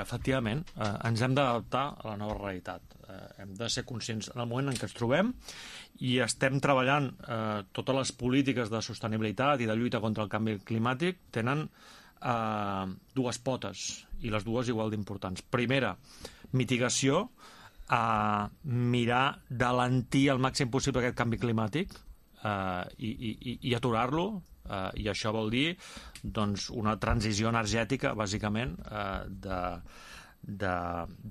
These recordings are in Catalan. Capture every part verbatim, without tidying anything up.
efectivament, eh, ens hem d'adaptar a la nova realitat. Eh, hem de ser conscients en el moment en què ens trobem i estem treballant eh, totes les polítiques de sostenibilitat i de lluita contra el canvi climàtic tenen eh, dues potes i les dues igual d'importants. Primera, mitigació, a mirar d'alentir al màxim possible aquest canvi climàtic eh, i, i, i aturar-lo, eh, i això vol dir doncs, una transició energètica, bàsicament, eh, de, de,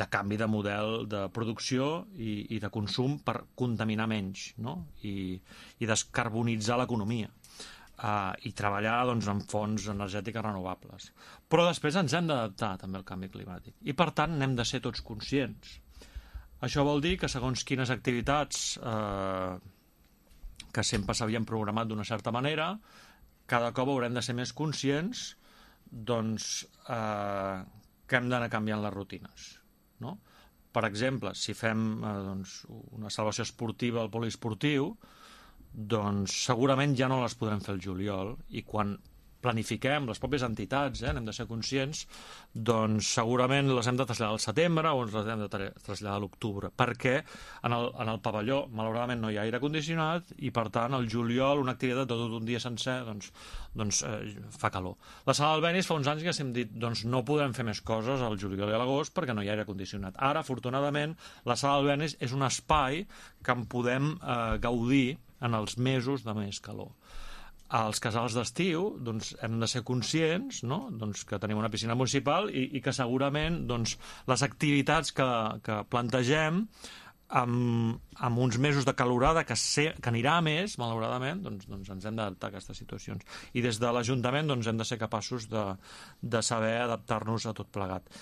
de canvi de model de producció i, i de consum per contaminar menys, no? I, i descarbonitzar l'economia. Uh, i treballar doncs, en fonts energètiques renovables. Però després ens hem d'adaptar també al canvi climàtic i per tant n'hem de ser tots conscients. Això vol dir que segons quines activitats eh, que sempre s'havien programat d'una certa manera, cada cop haurem de ser més conscients doncs, eh, que hem d'anar canviant les rutines, no? Per exemple, si fem eh, doncs, una salvació esportiva al poliesportiu, doncs segurament ja no les podrem fer el juliol, i quan planifiquem, les pròpies entitats, eh, n'hem de ser conscients, doncs segurament les hem de traslladar al setembre o les hem de traslladar a l'octubre, perquè en el, en el pavelló, malauradament, no hi ha aire condicionat i, per tant, el juliol, una activitat de tot un dia sencer, doncs, doncs eh, fa calor. La sala Albéniz fa uns anys que hem dit, doncs no podem fer més coses al juliol i a l'agost perquè no hi ha aire condicionat. Ara, afortunadament, la sala Albéniz és un espai que en podem eh, gaudir en els mesos de més calor. Als casals d'estiu doncs, hem de ser conscients, no? Doncs, que tenim una piscina municipal i, i que segurament doncs, les activitats que, que plantegem amb, amb uns mesos de calorada que, ser, que anirà a més, malauradament, doncs, doncs ens hem d'adaptar a aquestes situacions. I des de l'Ajuntament doncs, hem de ser capaços de, de saber adaptar-nos a tot plegat.